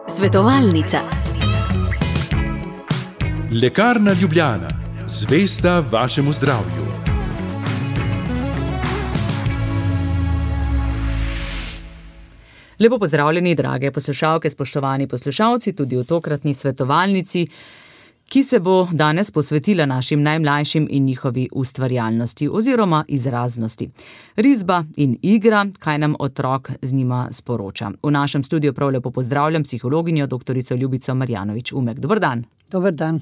Svetovalnica. Lekarna Ljubljana. Zvesta vašemu zdravju. Lepo pozdravljeni, drage poslušalke, spoštovani poslušalci, tudi v tokratni svetovalnici, ki se bo danes posvetila našim najmlajšim in njihovi ustvarjalnosti oziroma izraznosti. Risba in igra, kaj nam otrok z njima sporoča. V našem studiu prav lepo pozdravljam psihologinjo doktorico Ljubico Marjanović-Umek. Dober dan. Dober dan.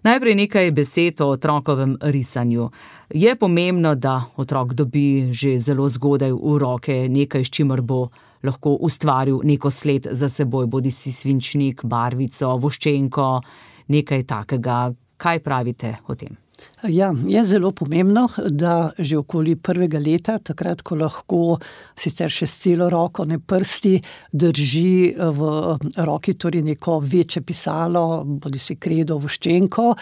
Najprej nekaj besed o otrokovem risanju. Je pomembno, da otrok dobi že zelo zgodaj v roke nekaj, s čimer bo lahko ustvaril neko sled za seboj, bodisi svinčnik, barvico, voščenko, nekaj takega. Kaj pravite o tem? Ja, je zelo pomembno, da že okoli 1. leta, takrat, ko lahko sicer še s celo roko, ne prsti, drži v roki torej neko večje pisalo, bodisi kredo, voščenko,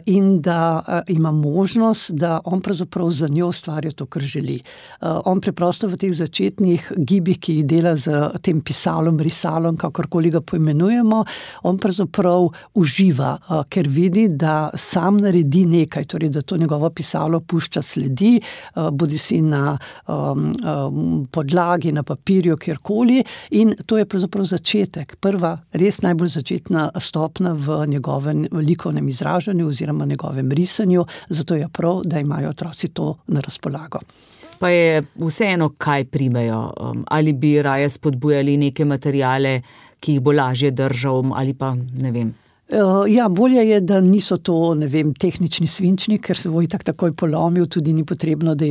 in da ima možnost, da on pravzaprav za njo ustvarja to, kar želi. On preprosto v teh začetnih gibih, ki jih dela z tem pisalom, risalom, kakorkoli ga poimenujemo, on pravzaprav uživa, ker vidi, da sam naredi nekaj, torej da to njegovo pisalo pušča sledi, bodisi na podlagi, na papirju, kjerkoli, in to je pravzaprav začetek, prva res najbolj začetna stopnja v njegovem likovnem izražanju oziroma njegovem risanju, zato je prav, da imajo otroci to na razpolago. Pa je vseeno, kaj primejo? Ali bi raje spodbujali neke materiale, ki jih bo lažje držal, ali pa ne vem? Ja, bolje je, da niso to, ne vem, tehnični svinčnik, ker se bo itak takoj polomil, tudi ni potrebno, da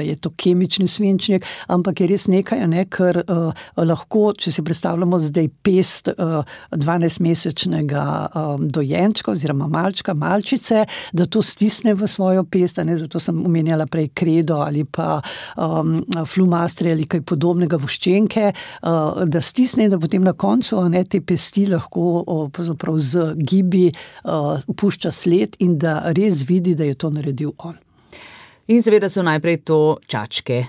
je to kemični svinčnik, ampak je res nekaj, ker lahko, če si predstavljamo zdaj pest 12-mesečnega dojenčka oziroma malčice, da to stisne v svojo pest, zato sem omenjala prej kredo ali pa flumastri ali kaj podobnega, voščenke, da stisne in da potem na koncu te pesti lahko pravzaprav z gibi pušča sled in da res vidi, da je to naredil on. In seveda so najprej to čačke,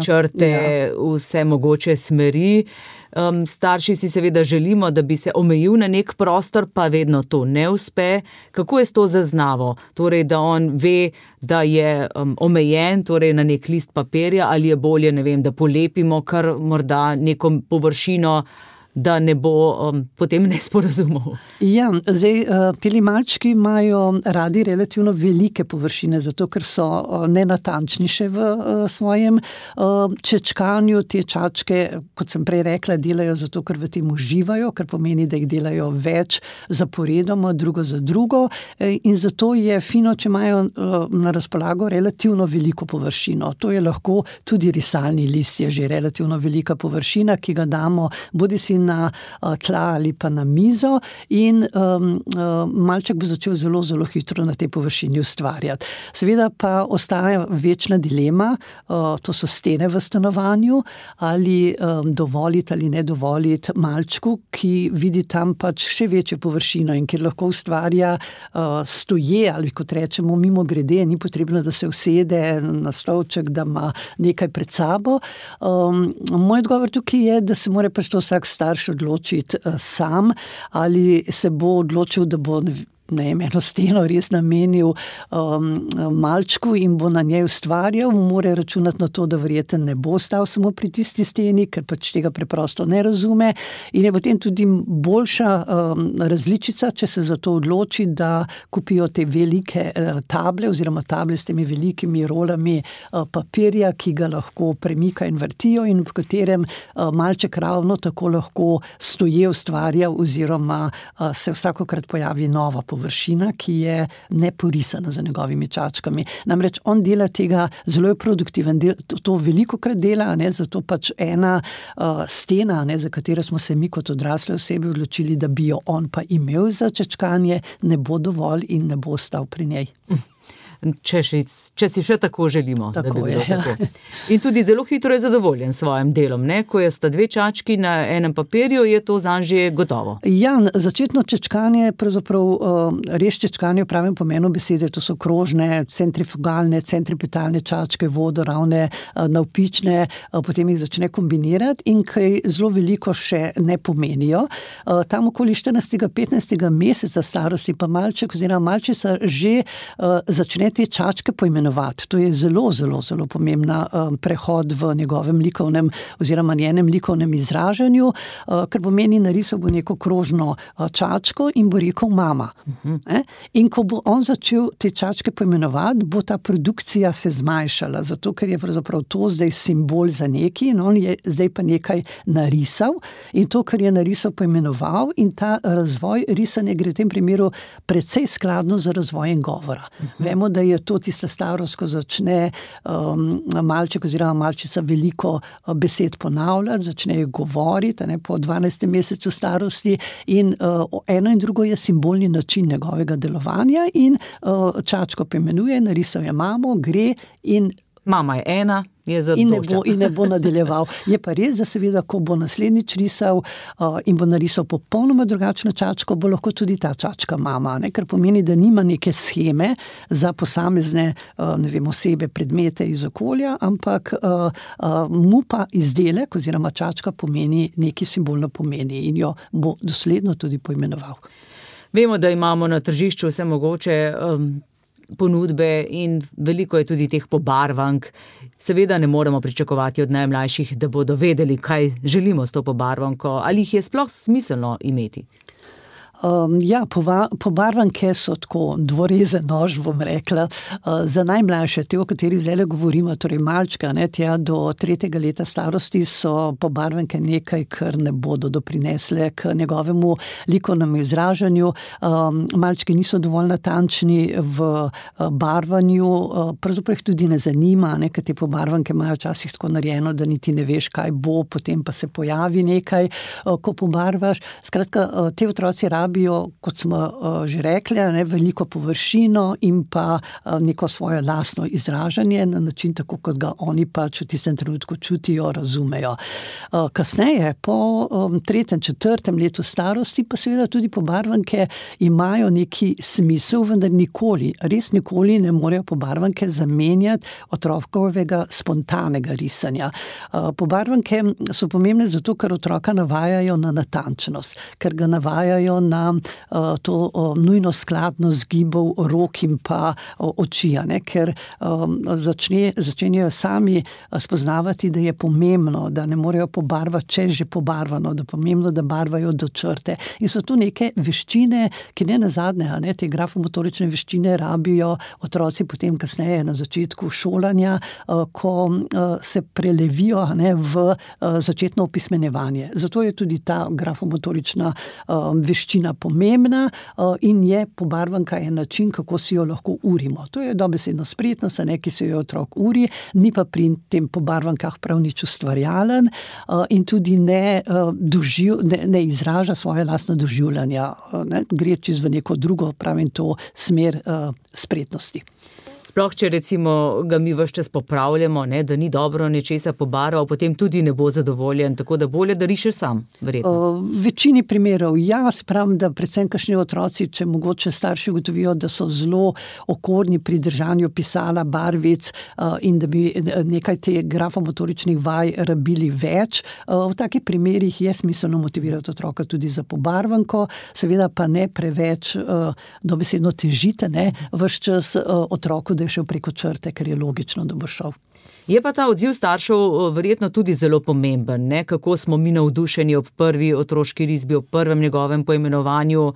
črte, vse mogoče smeri. Starši si seveda želimo, da bi se omejil na nek prostor, pa vedno to ne uspe. Kako je s to zaznavo? Torej, da on ve, da je omejen, torej na nek list papirja, ali je bolje, ne vem, da polepimo kar morda neko površino, da ne bo potem nesporazumov. Ja, zdaj, teli malčki imajo radi relativno velike površine, zato ker so nenatančni še v svojem čečkanju. Te čačke, kot sem prej rekla, delajo zato, ker v tem uživajo, kar pomeni, da jih delajo več zaporedoma, drugo za drugo, in zato je fino, če imajo na razpolago relativno veliko površino. To je lahko tudi risalni list, je že relativno velika površina, ki ga damo bodisi na tla ali pa na mizo, in malček bo začel zelo, zelo hitro na tej površini ustvarjati. Seveda pa ostaja večna dilema, to so stene v stanovanju, ali dovoliti ali ne dovoliti malčku, ki vidi tam pač še večjo površino in kjer lahko ustvarja stoje, ali kot rečemo mimo grede, ni potrebno, da se usede na stolček, da ima nekaj pred sabo. Moj odgovor tukaj je, da se mora pač to vsak starš odločiti sam, ali se bo odločil, da bo eno steno res namenil malčku in bo na njej ustvarjal, mora računati na to, da verjetno ne bo stal samo pri tisti steni, ker pač tega preprosto ne razume, in je potem tudi boljša različica, če se za to odloči, da kupijo te velike table oziroma table s temi velikimi rolami papirja, ki ga lahko premika in vrtijo in v katerem malček ravno tako lahko stoje ustvarja oziroma se vsakokrat pojavi nova površina, ki je neporisana za njegovimi čačkami. Namreč on dela tega, zelo je produktiven, to velikokrat dela, zato pač ena stena, za katero smo se mi kot odrasle osebe odločili, da bi jo on pa imel za čečkanje, ne bo dovolj in ne bo stal pri njej. če si še tako želimo, tako da bi bilo je, tako. In tudi zelo hitro je zadovoljen s svojim delom, ne? Ko sta dve čački na enem papirju, je to zanj že gotovo. Ja, začetno čečkanje, pravzaprav res čečkanje v pravem pomenu besede, to so krožne, centrifugalne, centripetalne čačke, vodoravne, navpične, potem jih začne kombinirati in kaj zelo veliko še ne pomenijo. Tam okoli 14-15 meseca starosti pa malček oziroma malčica že začne te čačke poimenovati. To je zelo, zelo, zelo pomembna prehod v njegovem likovnem oziroma njenem likovnem izražanju, ker pomeni, narisal bo neko krožno čačko in bo rekel mama. In ko bo on začel te čačke poimenovati, bo ta produkcija se zmanjšala, zato ker je pravzaprav to zdaj simbol za nekaj in on je zdaj pa nekaj narisal in to, kar je narisal, poimenoval in ta razvoj risanja gre v tem primeru precej skladno z razvojem govora. Vemo, da je to tista starost, ko začne malček oziroma malčica veliko besed ponavljati, začne govoriti po 12. mesecu starosti in eno in drugo je simbolni način njegovega delovanja in čačko poimenuje, narisal je mamo, gre in mama je ena, je zadošča. In ne bo nadaljeval. Je pa res, da seveda, ko bo naslednjič risal in bo narisal popolnoma drugačno čačko, bo lahko tudi ta čačka mama, ne? Ker pomeni, da nima neke sheme za posamezne, osebe, predmete iz okolja, ampak mu pa izdelek oziroma čačka pomeni, neki simbolno pomeni in jo bo dosledno tudi poimenoval. Vemo, da imamo na tržišču vse mogoče ponudbe in veliko je tudi teh pobarvank. Seveda ne moremo pričakovati od najmlajših, da bodo vedeli, kaj želimo s to pobarvanko, ali jih je sploh smiselno imeti. Pobarvanke so tako dvorezen nož, bom rekla, za najmlajše, te, o kateri zdaj govorimo, torej malčka, tja do 3. leta starosti so pobarvanke nekaj, kar ne bodo doprinesle k njegovemu likovnemu izražanju. Malčki niso dovolj natančni v barvanju, pravzaprav jih tudi ne zanima, ker te pobarvanke imajo včasih tako narejeno, da niti ne veš, kaj bo, potem pa se pojavi nekaj, ko pobarvaš. Skratka, te otroci rabijo, kot smo že rekli, veliko površino in pa neko svoje lastno izražanje na način, tako kot ga oni pač v tistem trenutku čutijo, razumejo. Kasneje, po 3., 4. letu starosti, pa seveda tudi pobarvanke imajo neki smisel, vendar nikoli, res nikoli ne morejo pobarvanke zamenjati otrokovega spontanega risanja. Pobarvanke so pomembne zato, ker otroka navajajo na natančnost, ker ga navajajo na to nujno skladnost gibov rok in pa oči, ker začenjajo sami spoznavati, da je pomembno, da ne morejo pobarvati, če je že pobarvano, da je pomembno, da barvajo do črte. In so tu neke veščine, ki ne nazadnje, te grafomotorične veščine rabijo otroci potem kasneje na začetku šolanja, ko se prelevijo v začetno opismenjevanje. Zato je tudi ta grafomotorična veščina pomembna in je pobarvanka je način, kako si jo lahko urimo. To je dobesedno spretnost, ki se jo otrok uri, ni pa pri tem pobarvankah prav nič ustvarjalen in tudi ne izraža svoje lastne doživljanja. Gre čez v neko drugo, pravim to, smer spretnosti. Sploh, če recimo ga mi ves čas popravljamo, da ni dobro nečesa pobarval, potem tudi ne bo zadovoljen, tako da bolje, da rišeš sam, verjetno. V večini primerov, se pravim, da predvsem kakšni otroci, če mogoče starši ugotovijo, da so zelo okorni pri držanju pisala, barvic in da bi nekaj te grafomotoričnih vaj rabili več. V takih primerih je smiselno motivirati otroka tudi za pobarvanko, seveda pa ne preveč dobesedno težite, ves čas otroku, da je šel preko črte, ker je logično, da bo šel. Je pa ta odziv staršev verjetno tudi zelo pomemben, kako smo mi navdušeni ob prvi otroški risbi, ob prvem njegovem poimenovanju,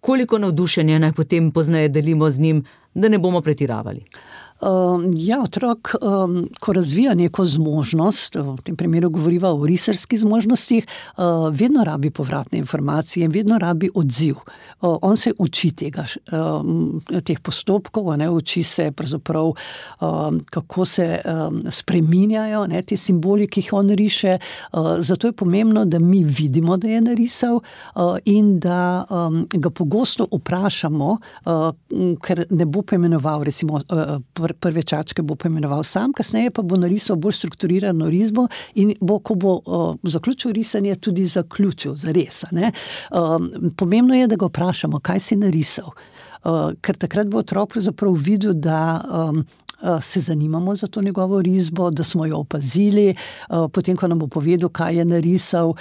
koliko navdušenja naj potem pozneje delimo z njim, da ne bomo pretiravali. Ja, otrok, ko razvija neko zmožnost, v tem primeru govoriva o risarskih zmožnostih, vedno rabi povratne informacije in vedno rabi odziv. On se uči teh postopkov, uči se pravzaprav, kako se spreminjajo te simboli, ki jih on riše. Zato je pomembno, da mi vidimo, da je narisal in da ga pogosto vprašamo, ker ne bo poimenoval, recimo prve čačke bo poimenoval sam, kasneje pa bo narisal bolj strukturirano risbo in ko bo zaključil risanje, tudi zaključil zares. Pomembno je, da ga vprašamo, kaj si narisal. Ker takrat bo otrok pravzaprav videl, da se zanimamo za to njegovo risbo, da smo jo opazili, potem, ko nam bo povedal, kaj je narisal,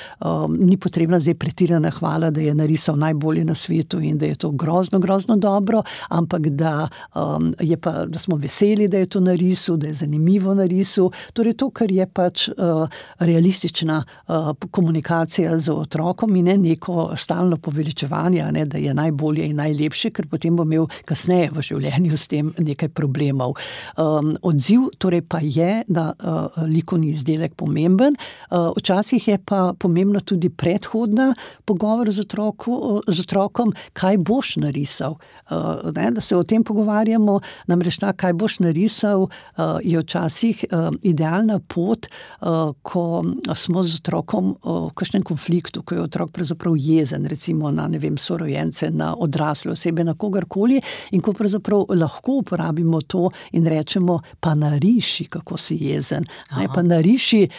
ni potrebna zdaj pretirana hvala, da je narisal najbolje na svetu in da je to grozno, grozno dobro, ampak da smo veseli, da je to narisal, da je zanimivo narisal. Torej to, kar je pač realistična komunikacija z otrokom in ne neko stalno poveličevanje, da je najbolje in najlepše, ker potem bo imel kasneje v življenju s tem nekaj problemov. Odziv torej pa je, da likovni izdelek pomemben. Včasih je pa pomembno tudi predhodna pogovor z otrokom, kaj boš narisal. Da se o tem pogovarjamo, namreč kaj boš narisal, je včasih idealna pot, ko smo z otrokom v kakšnem konfliktu, ko je otrok pravzaprav jezen, recimo na, sorojence, na odrasle osebe, na kogarkoli, in ko pravzaprav lahko uporabimo to in rečemo, pa nariši, kako si jezen. Pa nariši,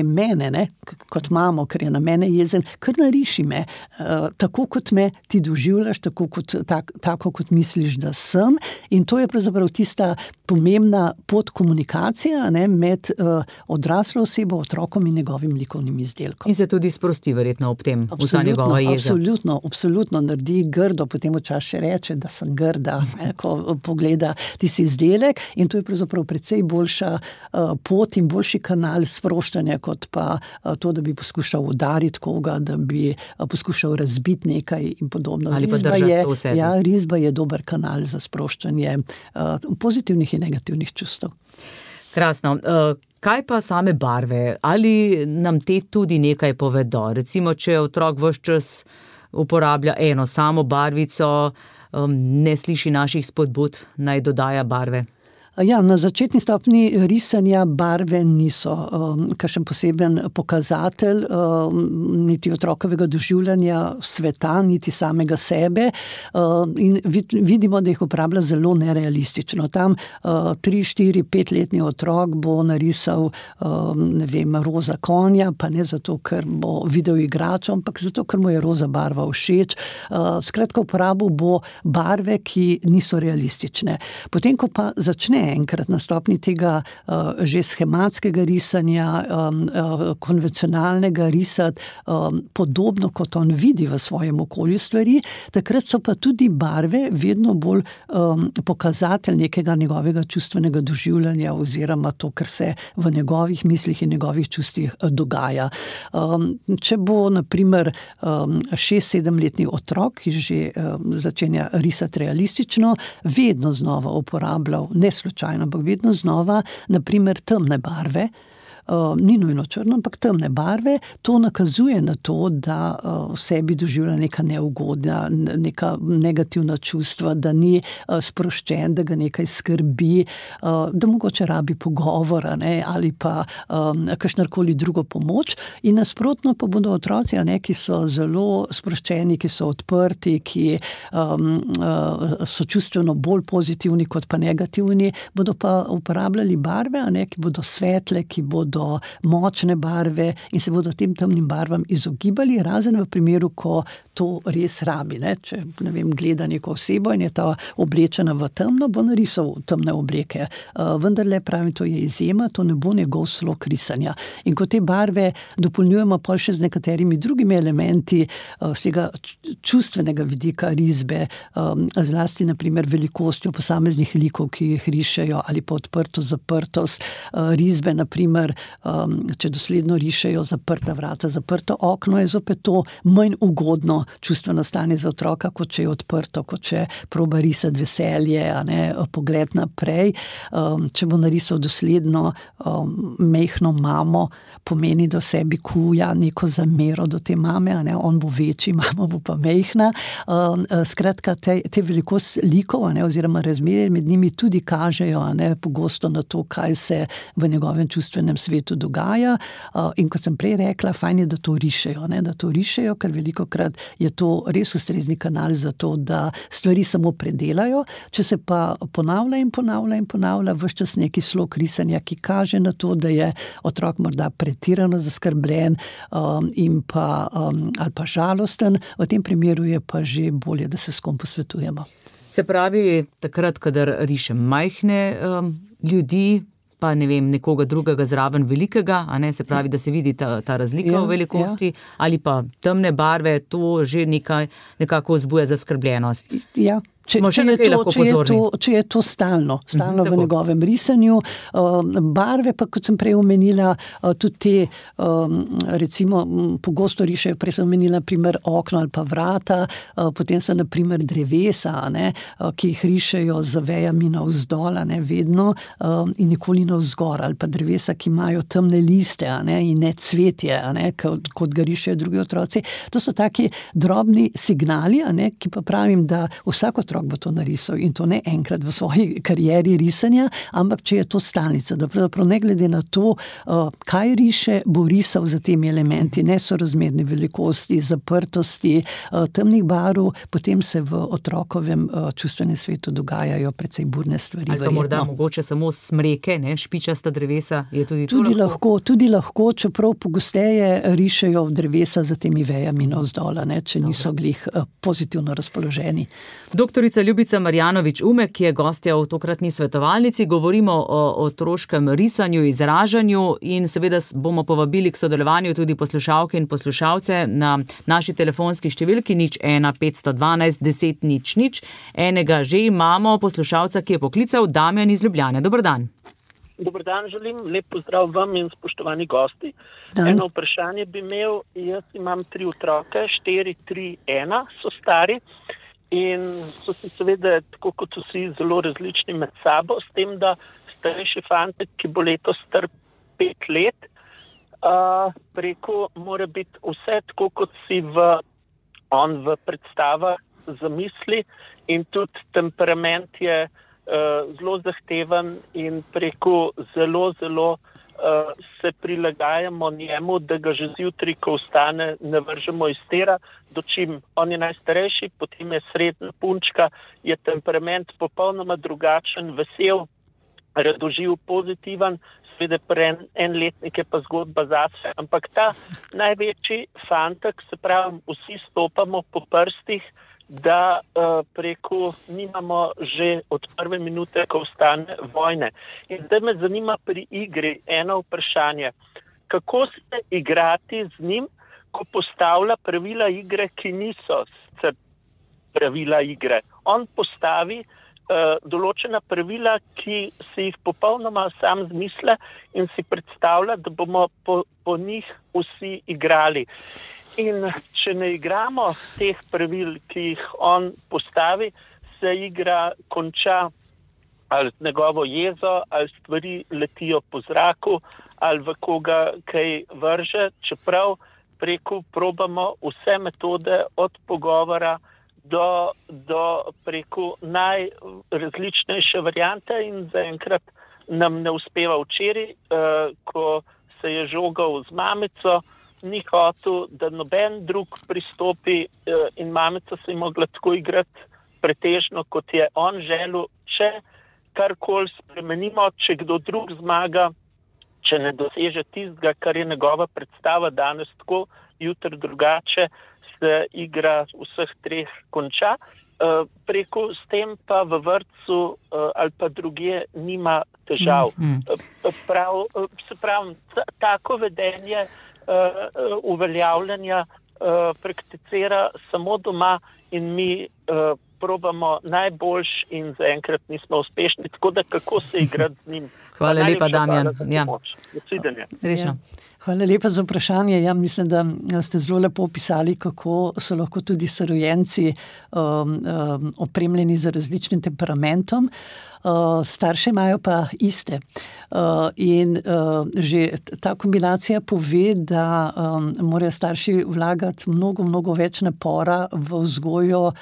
mene, kot mamo, ker je na mene jezen, kar nariši me, tako kot me ti doživljaš, tako kot misliš, da sem. In to je pravzaprav tista pomembna podkomunikacija med odraslo osebo, otrokom in njegovim likovnim izdelkom. In se tudi sprosti verjetno ob tem, vsa njegova jeza. Absolutno naredi grdo, potem včasih še reče, da sem grda, ko pogleda tisti izdelek, in to je pravzaprav precej boljša pot in boljši kanal sproščanja, kot pa to, da bi poskušal udariti koga, da bi poskušal razbiti nekaj in podobno. Ali pa držati to v sebi. Ja, risba je dober kanal za sproščanje pozitivnih in negativnih čustev. Krasno. Kaj pa same barve? Ali nam te tudi nekaj povedo? Recimo, če otrok ves čas uporablja eno samo barvico, ne sliši naših spodbud, naj dodaja barve? Ja, na začetni stopni risanja barve niso kakšen poseben pokazatelj niti otrokovega doživljanja sveta, niti samega sebe, in vidimo, da jih uporablja zelo nerealistično. Tam 3, 4, 5-letni otrok bo narisal, roza konja, pa ne zato, ker bo videl igračo, ampak zato, ker mu je roza barva všeč. Skratka, uporabil bo barve, ki niso realistične. Potem, ko pa začne enkrat na stopni tega že schematskega risanja, konvencionalnega risati, podobno kot on vidi v svojem okolju stvari, takrat so pa tudi barve vedno bolj pokazatelj nekega njegovega čustvenega doživljanja oziroma to, kar se v njegovih mislih in njegovih čustvih dogaja. Če bo, na primer, 6-7-letni otrok, ki že začenja risati realistično, vedno znova uporabljal, ne slučajno, ampak vedno znova, na primer, temne barve, ni nujno črno, ampak temne barve, to nakazuje na to, da v sebi doživlja neka neugodna, neka negativna čustva, da ni sproščen, da ga nekaj skrbi, da mogoče rabi pogovora, ali pa kakšnarkoli drugo pomoč. In nasprotno pa bodo otroci, ki so zelo sproščeni, ki so odprti, ki so čustveno bolj pozitivni kot pa negativni, bodo pa uporabljali barve, ki bodo svetle, ki bodo močne barve in se bodo tem temnim barvam izogibali, razen v primeru, ko to res rabi. Če, gleda neko osebo in je ta oblečena v temno, bo narisal temne obleke. Vendarle, pravim, to je izjema, to ne bo njegov slog risanja. In ko te barve dopolnjujemo pa še z nekaterimi drugimi elementi z tega čustvenega vidika risbe, zlasti na primer velikostjo posameznih likov, ki jih rišejo, ali pa odprtost, zaprtost risbe, na primer če dosledno rišejo zaprta vrata, zaprto okno, je zopet to manj ugodno čustveno stanje za otroka, kot če je odprto, kot če proba risati veselje, pogled naprej. Če bo narisal dosledno mehno mamo, pomeni, da v sebi kuja neko zamero do te mame, on bo večji, mama bo pa mehna. Skratka, te velikost likov, oziroma razmerje med njimi tudi kažejo pogosto na to, kaj se v njegovem čustvenem svetu dogaja. In kot sem prej rekla, fajn je, da to rišejo, ker velikokrat je to res ustrezni kanal za to, da stvari samo predelajo. Če se pa ponavlja ves čas neki slog risanja, ki kaže na to, da je otrok morda pretirano zaskrbljen ali pa žalosten, v tem primeru je pa že bolje, da se s kom posvetujemo. Se pravi, takrat, kadar rišem majhne ljudi, pa nekoga drugega zraven velikega, se pravi, da se vidi ta razlika v velikosti, ali pa temne barve, to že nekako vzbuja zaskrbljenost. Ja. Če je to stalno v njegovem risanju. Barve pa, kot sem prej omenila, tudi te, recimo, pogosto rišejo, prej sem omenila, primer okno ali pa vrata, potem so, naprimer, drevesa, ki jih rišejo z vejami navzdol, vedno, in nikoli navzgor, ali pa drevesa, ki imajo temne liste, in ne cvetje, kot ga rišejo drugi otroci. To so taki drobni signali, ki pa pravim, da vsak otrok bo to narisal, in to ne enkrat v svoji karieri risanja, ampak če je to stalnica, da pravzaprav ne glede na to, kaj riše, bo risal za temi elementi, nesorazmerne velikosti, zaprtosti, temnih barv, potem se v otrokovem čustvenem svetu dogajajo precej burne stvari. Ali pa morda mogoče samo smreke, špičasta drevesa, je tudi to lahko? Tudi lahko, čeprav pogosteje rišejo drevesa za temi vejami navzdol, če niso glih pozitivno razpoloženi. Doktorica Ljubica Marjanović-Umek, ki je gostja v tokratni svetovalnici, govorimo o otroškem risanju, izražanju in seveda bomo povabili k sodelovanju tudi poslušalke in poslušalce na naši telefonski številki 01 512 10 00. Enega že imamo, poslušalca, ki je poklical, Damjan iz Ljubljane. Dober dan. Dober dan, želim lep pozdrav vam in spoštovani gosti. Eno vprašanje bi imel, jaz imam 3 otroke, 4, 3, 1 so stari. In so si seveda, tako kot vsi, zelo različni med sabo, s tem, da starejši fantek, ki bo letos star 5 let, preko mora biti vse tako, kot si on v predstavah zamisli, in tudi temperament je zelo zahteven in preko zelo se prilagajamo njemu, da ga že zjutraj, ko vstane, ne vržemo iz tera, dočim on je najstarejši, potem je srednja punčka, je temperament popolnoma drugačen, vesel, radoživ, pozitiven, seveda pri enletnik je pa zgodba zase, ampak ta največji fantek, se pravi, vsi stopamo po prstih, da preko nimamo že od prve minute, ko vstane, vojne. In zdaj me zanima pri igri eno vprašanje. Kako se igrati z njim, ko postavlja pravila igre, ki niso pravila igre? On postavi določena pravila, ki si jih popolnoma sam zmisle in si predstavlja, da bomo po njih vsi igrali. In če ne igramo teh pravil, ki jih on postavi, se igra konča ali njegovo jezo, ali stvari letijo po zraku, ali v koga kaj vrže, čeprav preko probamo vse metode od pogovora do preko najrazličnejše variante in zaenkrat nam ne uspeva. Včeraj, ko se je žogal z mamico, ni hotel, da noben drug pristopi in mamica se je mogla tako igrati pretežno, kot je on želel. Če karkoli spremenimo, če kdo drug zmaga, če ne doseže tistega, kar je njegova predstava danes tako, jutri drugače, se igra vseh 3 konča. Preko s tem pa v vrtcu ali pa drugje nima težav. Se pravi, tako vedenje uveljavljanja prakticira samo doma in mi probamo najboljš in zaenkrat nismo uspešni, tako da kako se igrati z njim. Hvala lepa, Damjan. Ja. Srečno. Hvala lepa za vprašanje. Ja, mislim, da ste zelo lepo opisali, kako so lahko tudi sorojenci opremljeni z različnim temperamentom. Starše imajo pa iste. In že ta kombinacija pove, da morajo starši vlagati mnogo več napora v vzgojo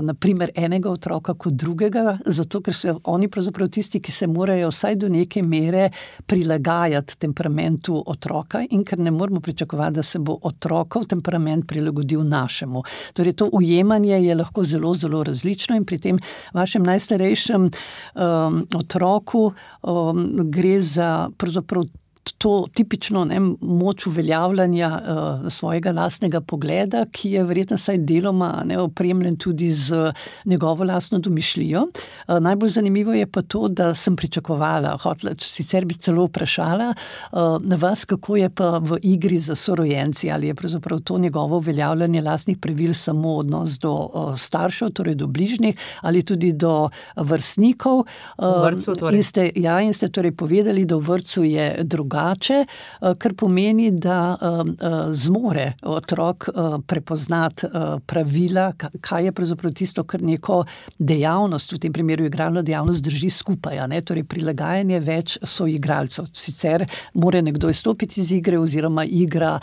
naprimer enega otroka kot drugega, zato ker se oni pravzaprav tisti, ki se morajo vsaj do neke mere prilagajati temperamentu otroka in ker ne moramo pričakovati, da se bo otrokov temperament prilagodil našemu. Torej to ujemanje je lahko zelo različno in pri tem vašem najstarejšem otroku gre za pravzaprav to tipično moč uveljavljanja svojega lastnega pogleda, ki je verjetno saj deloma opremljen tudi z njegovo lastno domišljijo. Najbolj zanimivo je pa to, da sem pričakovala, sicer bi celo vprašala na vas, kako je pa v igri za sorojenci, ali je pravzaprav to njegovo uveljavljanje lastnih pravil samo odnos do staršev, torej do bližnjih, ali tudi do vrstnikov. V vrtcu torej. In ste torej povedali, da v vrtcu je drugače, kar pomeni, da zmore otrok prepoznati pravila, kaj je pravzaprav tisto, kar neko dejavnost, v tem primeru igralno dejavnost, drži skupaj, torej prilagajanje več soigralcev. Sicer mora nekdo izstopiti iz igre oziroma igra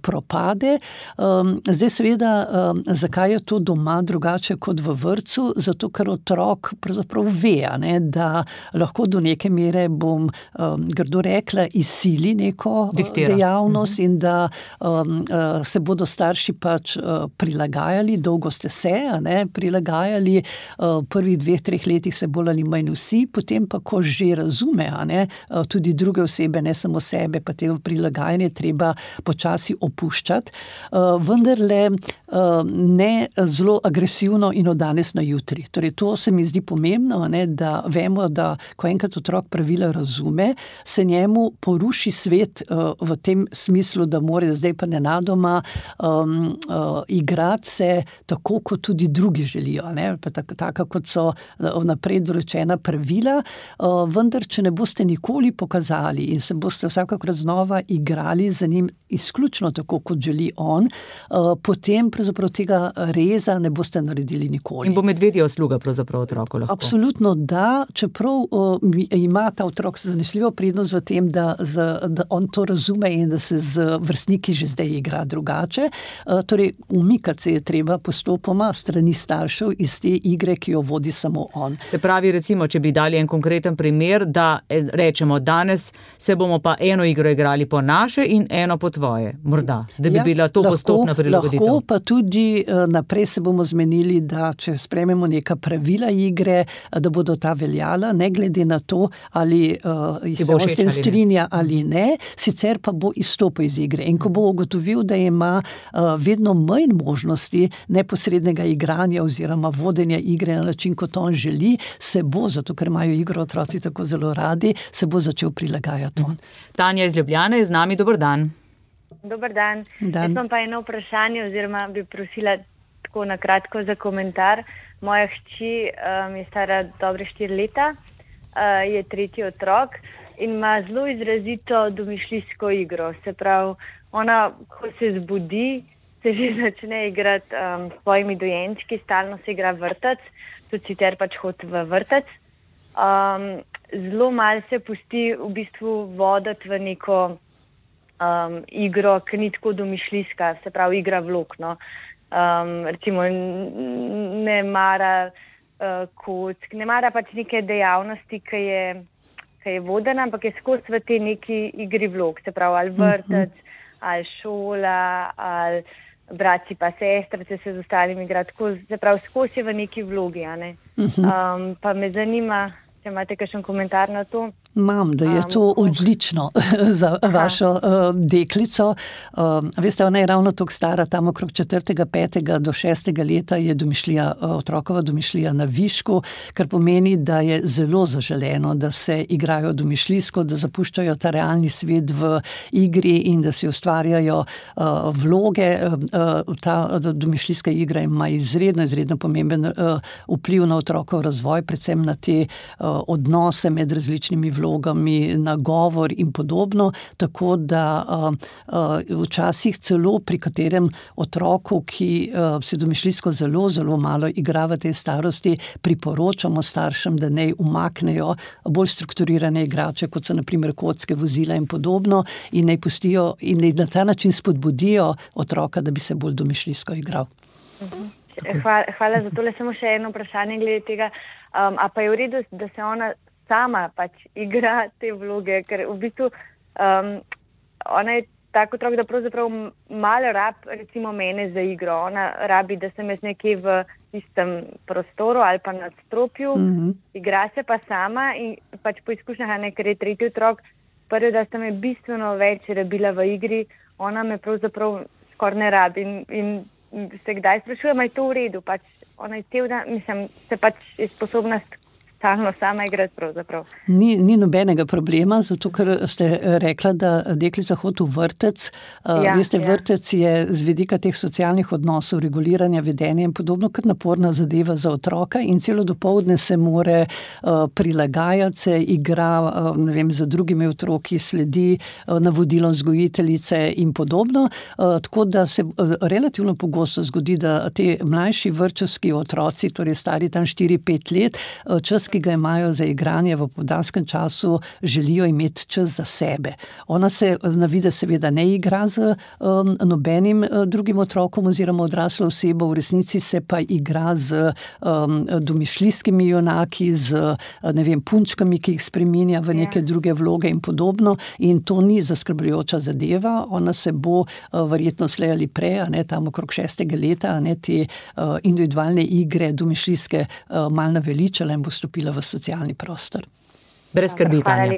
propade. Zdaj seveda, zakaj je to doma drugače kot v vrtcu? Zato, ker otrok pravzaprav ve, da lahko do neke mere, bom grdo rekla, sili neko dejavnost in da se bodo starši pač prilagajali, dolgo ste se prilagajali, v prvih 2-3 letih se bolj ali manj vsi, potem pa, ko že razume, tudi druge osebe, ne samo sebe, pa tega prilagajanje treba počasi opuščati, vendarle ne zelo agresivno in od danes na jutri. Torej, to se mi zdi pomembno, da vemo, da ko enkrat otrok pravila razume, se njemu poruši svet v tem smislu, da mora zdaj pa nenadoma igrati se tako, kot tudi drugi želijo. Tako, kot so vnaprej določena pravila, vendar, če ne boste nikoli pokazali in se boste vsakokrat znova igrali za njim izključno tako, kot želi on, potem pravzaprav tega reza ne boste naredili nikoli. In bo medvedja usluga pravzaprav otroku lahko? Absolutno da, čeprav ima ta otrok zanesljivo prednost v tem, da on to razume in da se z vrstniki že zdaj igra drugače. Torej, umikati se je treba postopoma strani staršev iz te igre, ki jo vodi samo on. Se pravi, recimo, če bi dali en konkreten primer, da rečemo, danes se bomo pa eno igro igrali po naše in eno po tvoje. Morda, da bi bila to postopna prilagoditev. Lahko pa tudi naprej se bomo zmenili, da če sprejmemo neka pravila igre, da bodo ta veljala, ne glede na to, ali se on s tem strinja ali ne, sicer pa bo izstopil iz igre. In ko bo ugotovil, da ima vedno manj možnosti neposrednega igranja oziroma vodenja igre na način, kot on želi, se bo, zato ker imajo igro otroci tako zelo radi, se bo začel prilagajati on. Tanja iz Ljubljane je z nami, dober dan. Dober dan. Jaz imam pa eno vprašanje oziroma bi prosila tako na kratko za komentar. Moja hči je stara dobre 4 leta, je 3. otrok in ima zelo izrazito domišljijsko igro. Se pravi, ona, ko se zbudi, se že začne igrati s svojimi dojenčki, stalno se igra vrtec, tudi sicer pač hodi v vrtec. Zelo malo se pusti v bistvu voditi v neko igro, ki ni tako domišljijska, se pravi igra vlog. Recimo ne mara kock, ne mara pač neke dejavnosti, ki je vodena, ampak je skozi v tej neki igri vlog, se pravi ali vrtec, ali šola, ali braci pa sestrice se z ostalimi igra, se pravi skozi v neki vlogi. Pa me zanima, če imate kakšen komentar na to. Imam, da je to odlično za vašo deklico. Veste, ona je ravno toliko stara, tam okrog 4., 5. do 6. leta je otrokova domišljija na višku, kar pomeni, da je zelo zaželeno, da se igrajo domišljijsko, da zapuščajo ta realni svet v igri in da si ustvarjajo vloge. Ta domišljijska igra ima izredno pomemben vpliv na otrokov razvoj, predvsem na te odnose med različnimi vlogami, na govor in podobno, tako da včasih celo pri katerem otroku, ki se domišljijsko zelo malo igra v tej starosti, priporočamo staršem, da naj umaknejo bolj strukturirane igrače, kot so na primer kocke, vozila in podobno, in naj pustijo in naj na ta način spodbudijo otroka, da bi se bolj domišljijsko igral. Hvala za tole. Samo še eno vprašanje glede tega. A pa je v redu, da se ona sama pač igra te vloge, ker v bistvu ona je tako otrok, da pravzaprav malo recimo mene za igro. Ona rabi, da sem jaz nekje v istem prostoru ali pa nadstropju, igra se pa sama in pač po izkušnjah, ker je tretji otrok, prvi, da sta me bistveno več rabila v igri, ona me pravzaprav skoraj ne rabi in se kdaj sprašujem, je to v redu, pač ona je cel dan, se pač je sposobna stalno sama igrati pravzaprav. Ni nobenega problema, zato ker ste rekla, da deklica hodi v vrtec. Veste, vrtec je z vidika teh socialnih odnosov, reguliranja vedenja in podobno kar naporna zadeva za otroka in celo dopoldne se more prilagajati, se igra, z drugimi otroki, sledi navodilom vzgojiteljice in podobno. Tako da se relativno pogosto zgodi, da te mlajši vrtčevski otroci, torej stari tam 4-5 let, čas, ki ga imajo za igranje v popoldanskem času, želijo imeti čas za sebe. Ona se navide seveda ne igra z nobenim drugim otrokom oziroma odraslo osebo, v resnici se pa igra z domišljijskimi junaki, z punčkami, ki jih spreminja v neke druge vloge in podobno, in to ni zaskrbljujoča zadeva. Ona se bo verjetno slej ali prej, tam okrog 6. leta, te individualne igre domišljijske malo naveličala in bo stopila v socialni prostor. Brez skrbi, Tanja.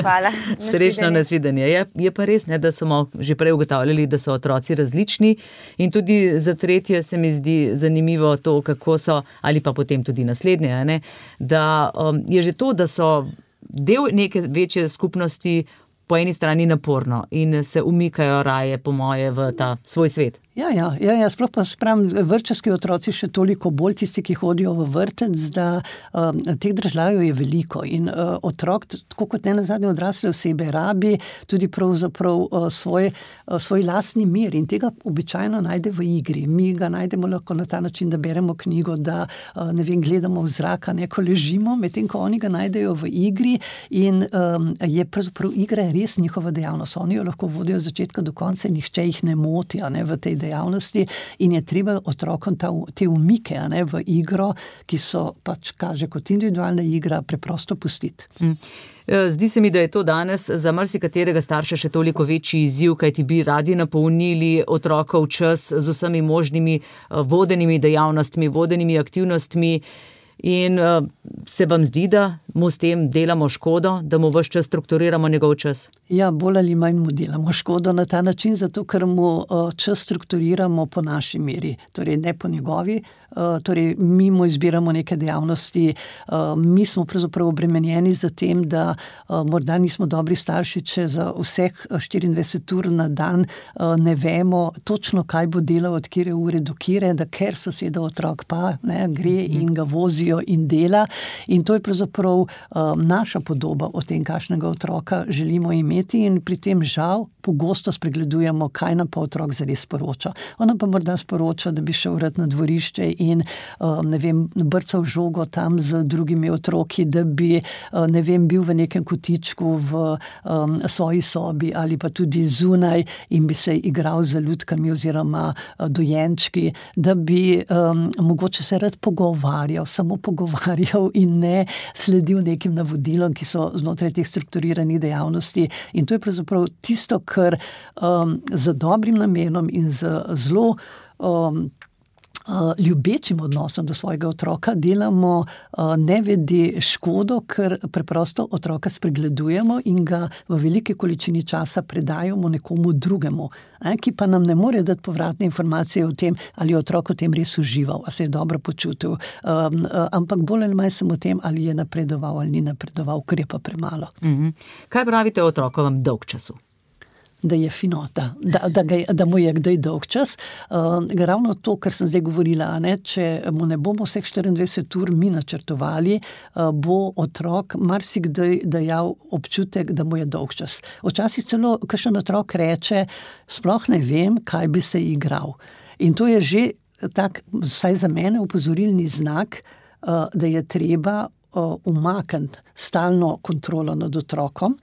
Hvala. Srečno nasvidenje. Je pa res, da smo že prej ugotavljali, da so otroci različni in tudi za tretje se mi zdi zanimivo to, kako so, ali pa potem tudi naslednje, da je že to, da so del neke večje skupnosti po eni strani naporno in se umikajo raje, po moje, v ta svoj svet. Ja, sploh pa spravim, vrtčevski otroci še toliko bolj, tisti, ki hodijo v vrtec, da teh državljanov je veliko in otrok, tako kot nenazadnje odrasle osebe, rabi tudi pravzaprav svoj lastni mir in tega običajno najde v igri. Mi ga najdemo lahko na ta način, da beremo knjigo, da gledamo v zrak, ko ležimo, medtem ko oni ga najdejo v igri in je pravzaprav igra res njihova dejavnost. Oni jo lahko vodijo od začetka do konca in nihče jih ne moti v tej dejavnosti in je treba otrokom te umike v igro, ki so pač kaže kot individualna igra, preprosto pustiti. Zdi se mi, da je to danes za marsikaterega starša še toliko večji izziv, kajti bi radi napolnili otrokov čas z vsemi možnimi vodenimi dejavnostmi, vodenimi aktivnostmi. In se vam zdi, da mu s tem delamo škodo, da mu ves čas strukturiramo njegov čas? Ja, bolj ali manj mu delamo škodo na ta način, zato ker mu čas strukturiramo po naši meri, torej ne po njegovi. Torej, mi mu izbiramo neke dejavnosti, mi smo pravzaprav obremenjeni za tem, da morda nismo dobri starši, če za vseh 24 ur na dan ne vemo točno, kaj bo delal od kire ure do kire, da ker soseda otrok pa gre in ga vozijo in dela. In to je pravzaprav naša podoba o tem, kakšnega otroka želimo imeti in pri tem žal pogosto spregledujemo, kaj nam pa otrok zares sporoča. Ona pa morda sporoča, da bi šel rad na dvorišče in brcal žogo tam z drugimi otroki, da bi bil v nekem kotičku v svoji sobi ali pa tudi zunaj in bi se igral z lutkami oziroma dojenčki, da bi mogoče se rad pogovarjal, samo pogovarjal in ne sledil nekim navodilom, ki so znotraj teh strukturiranih dejavnosti. In to je pravzaprav tisto, kar z dobrim namenom in z zelo ljubečim odnosom do svojega otroka delamo nevedi škodo, ker preprosto otroka spregledujemo in ga v veliki količini časa predajamo nekomu drugemu, ki pa nam ne more dati povratne informacije o tem, ali je otrok v tem res užival, ali se je dobro počutil, ampak bolj ali manj sem o tem, ali je napredoval ali ni napredoval, ker je pa premalo. Kaj pravite o otrokovem dolgčasu? Da je finota, da mu je kdaj dolg čas. Ravno to, kar sem zdaj govorila, če mu ne bomo vseh 24 ur mi načrtovali, bo otrok marsikdaj dajal občutek, da mu je dolg čas. Včasih celo kakšen otrok reče, sploh ne vem, kaj bi se igral. In to je že tak, vsaj za mene, opozorilni znak, da je treba umakniti stalno kontrolo nad otrokom,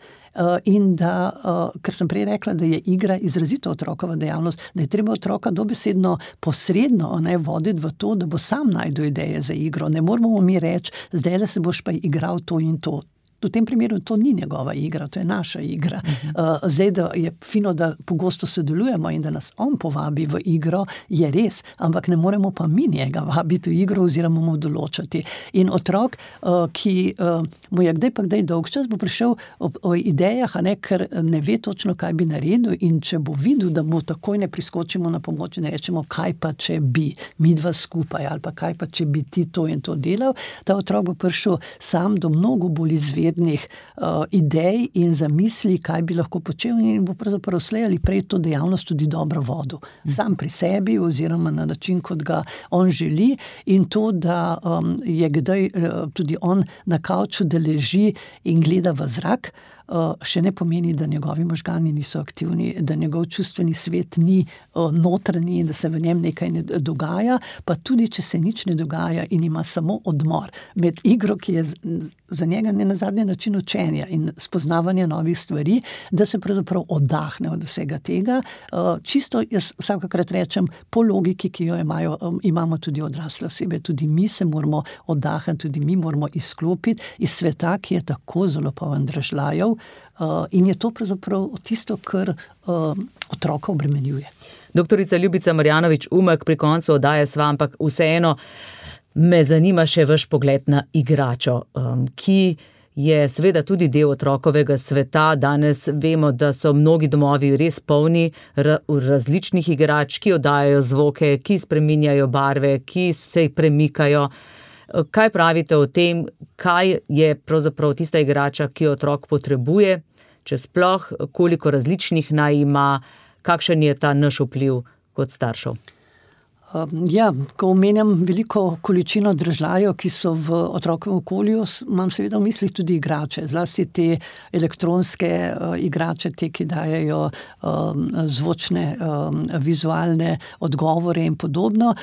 in da, ker sem prej rekla, da je igra izrazito otrokova dejavnost, da je treba otroka dobesedno posredno voditi v to, da bo sam najdel ideje za igro. Ne moramo mi reči, zdaj se boš pa igral to in to. V tem primeru to ni njegova igra, to je naša igra. Zdaj, da je fino, da pogosto sodelujemo in da nas on povabi v igro, je res, ampak ne moremo pa mi njega vabiti v igro oziroma mu določati. In otrok, ki mu je kdaj pa kdaj dolgčas, bo prišel o idejah, ker ne ve točno, kaj bi naredil, in če bo videl, da mu takoj ne priskočimo na pomoč in rečemo, kaj pa če bi mi dva skupaj, ali pa kaj pa če bi ti to in to delal, ta otrok bo prišel sam do mnogo bolj izvednih idej in zamisli, kaj bi lahko počel, in bo pravzaprav slej ali prej to dejavnost tudi dobro vodil. Sam pri sebi oziroma na način, kot ga on želi, in to, da je kdaj tudi on na kavču, da leži in gleda v zrak, še ne pomeni, da njegovi možgani niso aktivni, da njegov čustveni svet ni notranji in da se v njem nekaj ne dogaja, pa tudi, če se nič ne dogaja in ima samo odmor med igro, ki je za njega ne na zadnji način učenja in spoznavanja novih stvari, da se pravzaprav oddahne od vsega tega. Čisto, jaz vsakokrat rečem, po logiki, ki jo imamo tudi odrasle osebe, tudi mi se moramo oddahniti, tudi mi moramo izklopiti iz sveta, ki je tako zelo poln dražljajev, in je to pravzaprav tisto, kar otroka obremenjuje. Doktorica Ljubica Marjanović-Umek, pri koncu oddaje sva, ampak vseeno me zanima še vaš pogled na igračo, ki je seveda tudi del otrokovega sveta. Danes vemo, da so mnogi domovi res polni različnih igrač, ki oddajajo zvoke, ki spreminjajo barve, ki se premikajo. Kaj pravite o tem, kaj je pravzaprav tista igrača, ki jo otrok potrebuje, če sploh, koliko različnih naj ima, kakšen je ta naš vpliv kot staršev? Ja, ko omenjam veliko količino dražljajev, ki so v otrokovem okolju, imam seveda v mislih tudi igrače, zlasti te elektronske igrače, te, ki dajejo zvočne, vizualne odgovore in podobno.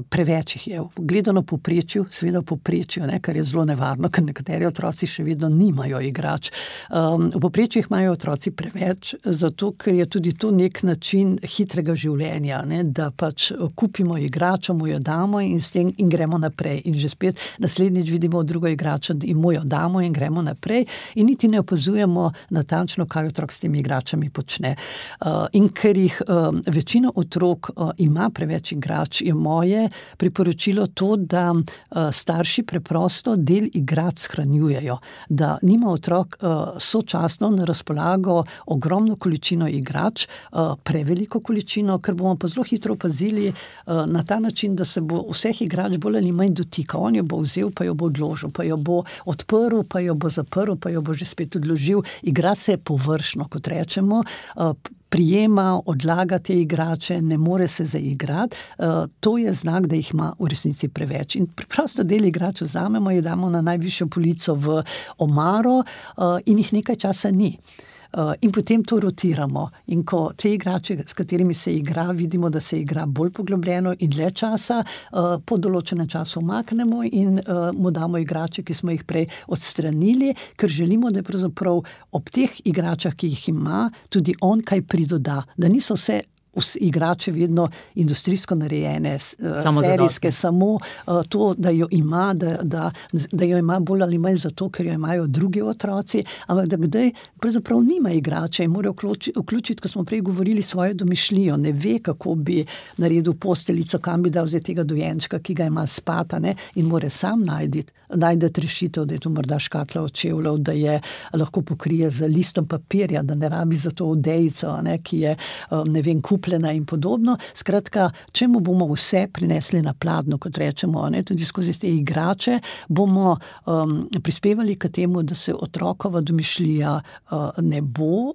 Preveč jih je. Gledano povprečju, seveda povprečju, kar je zelo nevarno, ker nekateri otroci še vedno nimajo igrač. V povprečju jih imajo otroci preveč, zato ker je tudi to nek način hitrega življenja, da pač kupimo igračo, mu jo damo in s tem in gremo naprej. In že spet naslednjič vidimo drugo igračo in mu jo damo in gremo naprej in niti ne opazujemo natančno, kaj otrok s temi igračami počne. In ker jih večina otrok ima preveč igrač, je moje priporočilo to, da starši preprosto del igrač shranjujejo, da nima otrok sočasno na razpolago ogromno količino igrač, preveliko količino, ker bomo pa zelo hitro opazili na ta način, da se bo vseh igrač bolj ali manj dotikal. On jo bo vzel, pa jo bo odložil, pa jo bo odprl, pa jo bo zaprl, pa jo bo že spet odložil. Igra se površno, kot rečemo, prijema, odlaga te igrače, ne more se zaigrati. To je znak, da jih ima v resnici preveč. In preprosto del igrač vzamemo, jih damo na najvišjo polico v omaro in jih nekaj časa ni. In potem to rotiramo. In ko te igrače, s katerimi se igra, vidimo, da se igra bolj poglobljeno in dlje časa, po določenem času umaknemo in mu damo igrače, ki smo jih prej odstranili, ker želimo, da pravzaprav ob teh igračah, ki jih ima, tudi on kaj pridoda. Da niso vse igrače vedno industrijsko narejene, serijske, samo to, da jo ima, da jo ima bolj ali manj zato, ker jo imajo drugi otroci, ampak da kdaj pravzaprav nima igrače in mora vključiti, ko smo prej govorili, svojo domišljijo, ne ve, kako bi naredil posteljico, kam bi dal tega dojenčka, ki ga ima spata, ne, in mora sam najti rešitev, da je to morda škatla od čevljev, da je lahko pokrije z listom papirja, da ne rabi za to odejico, ne, ki je, ne vem, kupljena in podobno. Skratka, če mu bomo vse prinesli na pladnjo, kot rečemo, ne, tudi skozi te igrače, bomo prispevali k temu, da se otrokova domišljija ne bo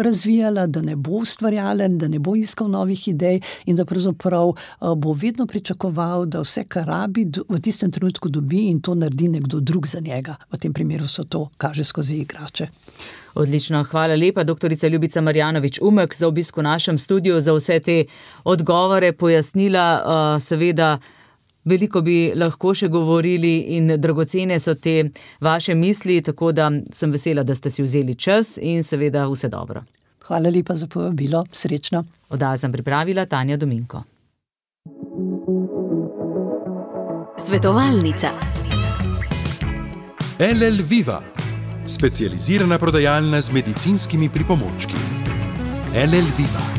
razvijala, da ne bo ustvarjalen, da ne bo iskal novih idej in da pravzaprav bo vedno pričakoval, da vse, kar rabi, v tistem trenutku dobi in to naredi nekdo drug za njega. V tem primeru so to kaže skozi igrače. Odlično, hvala lepa, doktorica Ljubica Marjanović-Umek, za obisk v našem studiu, za vse te odgovore, pojasnila, seveda veliko bi lahko še govorili in dragocene so te vaše misli, tako da sem vesela, da ste si vzeli čas in seveda vse dobro. Hvala lepa za povabilo, srečno. Oddajo sem pripravila Tanja Dominko. Svetovalnica. LL Viva, specializirana prodajalna z medicinskimi pripomočki. LL Viva.